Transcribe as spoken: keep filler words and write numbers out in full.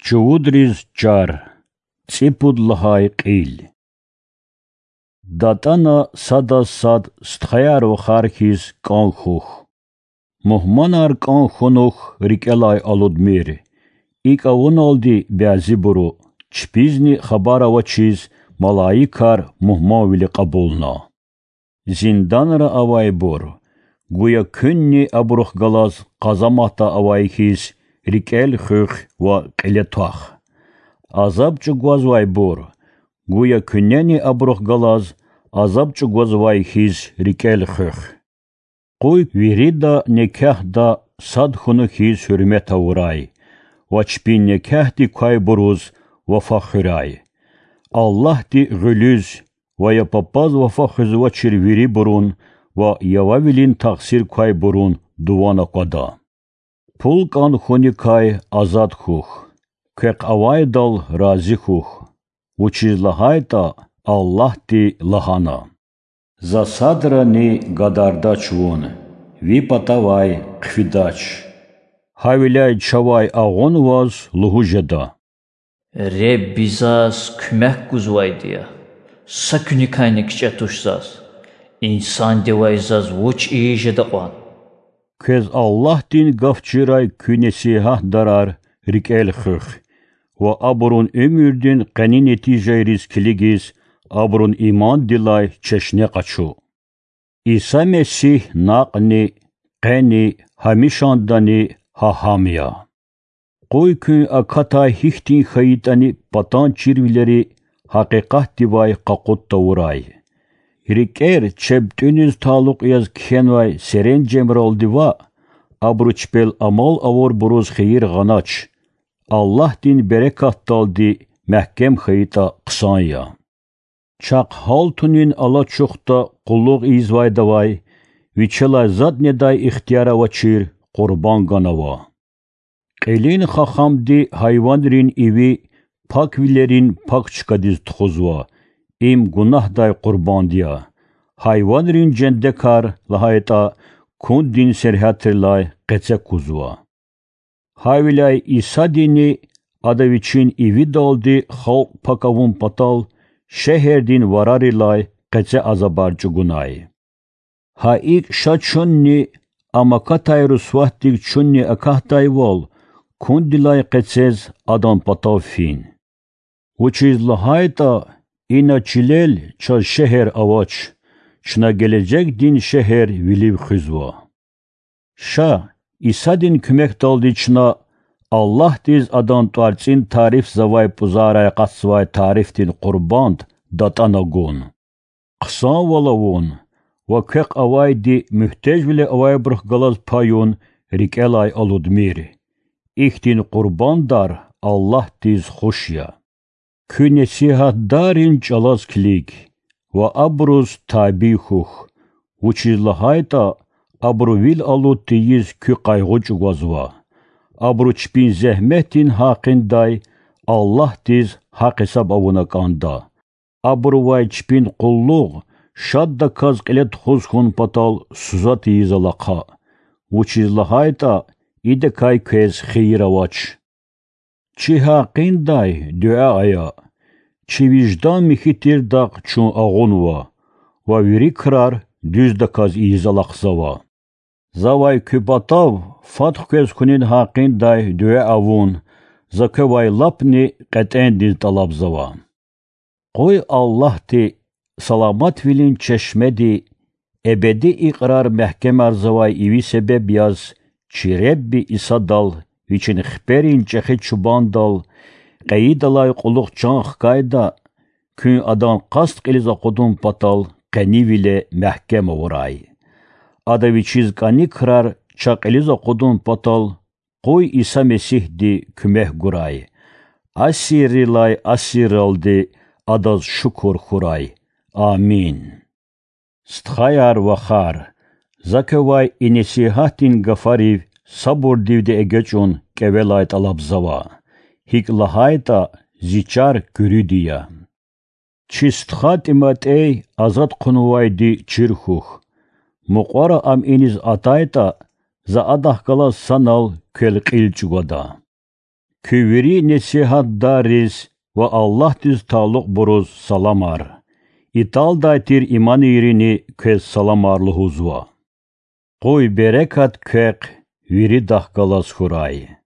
Чувудриз чар. ЦӀипуд лагьай кьил. ДатӀана садаз сад стхаяр-вахар хьиз кӀан хьухь. Мугьманар кӀан хьунухь рикӀелай алудмир. ИкӀ авуналди бязибуру, чпизни хабар авачиз, малаикар мугьманвиле кьабулна. Зинданра авайбур, гуя куьнни абурухъ галаз къазаматда авай хьиз, рикӀел хуьх ва кьиле твах. Азаб чӀугвазвайбур, гуя куьнени абурухъ галаз азаб чӀугвазвай хьиз, рикӀел хуьх. Къуй вирида некягьда сад хьунухь хьиз гьуьрмет авурай ва чпин некягьдик квайбуруз вафа хуьрай. Аллагьди гъуьлуьз ва я папаз вафа хуьзвачир вирибурун ва я вавилин тахсир квайбурун дуван аквада. Пул кӀан хьуникай азад хьухь, квехъ авайдал рази хьухь, вучиз лагьайтӀа Аллагьди лагьана: За садрани гадардач вун, ви патавай хъфидач. Гьавиляй чавай агъунваз лугьуз жеда: Ребби заз куьмек гузвайди я, са куьникайни кичӀе туш заз, инсандивай заз вуч ийиз жеда кьван? Квез Аллагьдин гаф чирай куь несигьатдарар рикӀел хуьх ва абурун уьмуьрдин къени нетижайриз килигиз, абурун имандилай чешне къачу. Иса Месигь накьни, къени, гьамишандани гьа гьам я. Къуй куьн акатай гьихьтин хьайитӀани патан чирвилери гьакъикъатдивай къакъуд тавурай. РикӀер чеб тӀуьниз талукь яз кхьенвай серенжемралди ваъ, абуру чпел амал авурбуруз хийир гъанач, Аллагьдин берекатдалди мягькем хьайитӀа хъсан я. Чахъ гьалтунин алачухда къуллугъ ийизвайдавай вичелай затӀ недай ихтияр авачир къурбанд ганава. Кьилин хахамди гьайванрин иви паквилерин пак чкадиз тухузва, им гунагьдай къурбанд я, гьайванрин жендекар, лагьайтӀа, кундин сергьятрилай къеце кузва. Гьавиляй Исадини Ада Вичин ивидалди халкь пак авун патал шегьердин варарилай къеце азабар чӀугунай. Гьа икӀ ша чунни ам акатай русватдик чунни акатдайвал, кундилай къецез Адан патав фин. Вучиз лагьайтӀа ина чилел чаз шегьер авач, чна гележегдин шегьер вилив хуьзва. Ша, Исадин куьмекдалди чна Аллагьдиз Адан тӀварцӀин тарифзавай пӀузарай акъатзавай тарифдин къурбанд датӀана гун. Хъсанвал авун ва квехъ авайди муьгьтежвиле авайбурухъ галаз паюн рикӀелай алудмир. Ихьтин къурбандар Аллагьдиз хуш я. Куь несигьатдаррин чӀалаз килиг ва абуруз табий хьухь, вучиз лагьайтӀа абуру вил алуд тийиз куь къайгъу чӀугвазва. Абуру чпин зегьметдин гьакъиндай Аллагьдиз гьахъ-гьисаб авуна кӀанда. Абурувай чпин къуллугъ шаддаказ кьиле тухуз хьун патал суза тийиз алахъа, вучиз лагьайтӀа идакай квез хийир авач. Чи гьакъиндай дуьа ая. Чи виждан михьи тирдахъ чун агъунва ва вири крар дуьздаказ ийиз алахъзава. Завай куь патав фад хквез хьунин гьакъиндай дуьа авун, за квевай лапни кьетӀендиз тӀалабзава. Къуй Аллагьди, саламатвилин чешмеди, эбеди икьрар мягькемарзавай иви себеб яз, чи Ребби Исадал, Вичин хиперин чӀехи чубандал, къейидалай кьулухъ чан хкайда, куьн Адан къаст кьилиз акъудун патал къенивиле мягькем авурай. Ада Вичиз кӀани крар чан кьилиз акъудун патал къуй Иса Месигьди куьмек гурай. Асиррилай асирралди Адаз шукур хьурай. Амин. Стхаяр-вахар, за квевай и несигьатдин гафарив сабурдивди эгечӀун кӀевелай тӀалабзава, гьикӀ лагьайтӀа зи чар куьруьди я. Чи стха ТӀиматӀей азад хъувунвайди чир хьухь. Мукьвара ам иниз атайтӀа, за адахъ галаз санал квел кьил чӀугвада. Куь вири несигьатдарриз ва Аллагьдиз талукьбуруз саламар. Италдай тир иманийрини квез саламар лугьузва. Къуй берекат квехъ виридахъ галаз хьурай.